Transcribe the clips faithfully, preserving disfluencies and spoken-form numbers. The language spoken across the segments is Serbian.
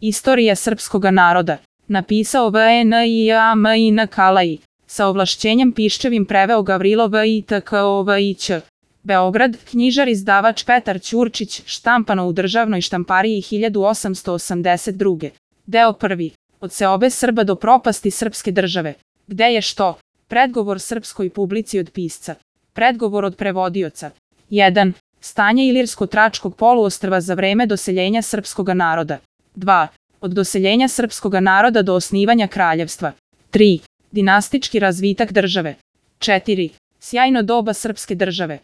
Istorija srpskoga naroda. Napisao V E N I A M I N Kalaji. Sa ovlašćenjem piščevim preveo Gavrilo V I T K O V I Ć. Beograd, knjižar izdavač Petar Ćurčić, štampano u državnoj štampariji hiljadu osamsto osamdeset druge. Deo prvi. Od seobe Srba do propasti srpske države. Gde je što? Predgovor srpskoj publici od pisca. Predgovor od prevodioca. jedan. Stanje Ilirsko-Tračkog poluostrva za vreme doseljenja srpskoga naroda. dva. Od doseljenja srpskoga naroda do osnivanja kraljevstva. tri. Dinastički razvitak države. četiri. Sjajno doba srpske države.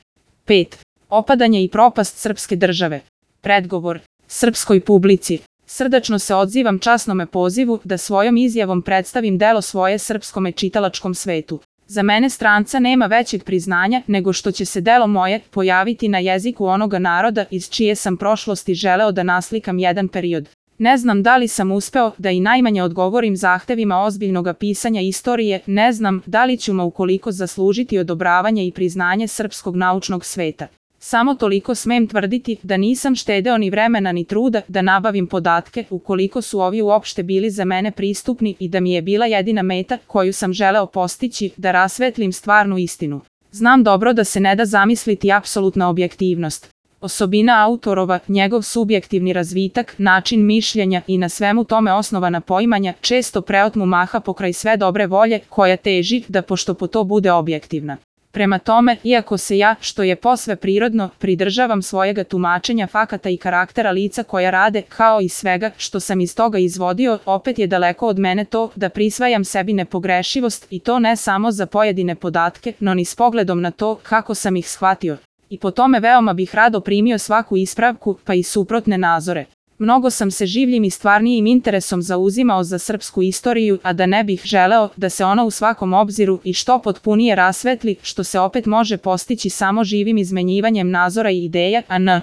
pet. Opadanje i propast srpske države. Predgovor srpskoj publici. Srdačno se odzivam časnome pozivu da svojom izjavom predstavim delo svoje srpskome čitalačkom svetu. Za mene stranca nema većeg priznanja nego što će se delo moje pojaviti na jeziku onoga naroda iz čije sam prošlosti želeo da naslikam jedan period. Ne znam da li sam uspeo da i najmanje odgovorim zahtevima ozbiljnoga pisanja istorije, ne znam da li ću mu ukoliko zaslužiti odobravanje i priznanje srpskog naučnog sveta. Samo toliko smem tvrditi da nisam štedeo ni vremena ni truda da nabavim podatke ukoliko su ovi uopšte bili za mene pristupni i da mi je bila jedina meta koju sam želeo postići da rasvetlim stvarnu istinu. Znam dobro da se ne da zamisliti apsolutna objektivnost. Osobina autorova, njegov subjektivni razvitak, način mišljenja i na svemu tome osnovana poimanja često preotmu maha pokraj sve dobre volje koja teži da pošto po to bude objektivna. Prema tome, iako se ja, što je posve prirodno, pridržavam svojega tumačenja fakata i karaktera lica koja rade, kao i svega što sam iz toga izvodio, opet je daleko od mene to da prisvajam sebi nepogrešivost i to ne samo za pojedine podatke, no ni s pogledom na to kako sam ih shvatio. I po tome veoma bih rado primio svaku ispravku, pa i suprotne nazore. Mnogo sam se življim i stvarnijim interesom zauzimao za srpsku istoriju, a da ne bih želeo da se ona u svakom obziru i što potpunije rasvetli, što se opet može postići samo živim izmenjivanjem nazora i ideja, a n.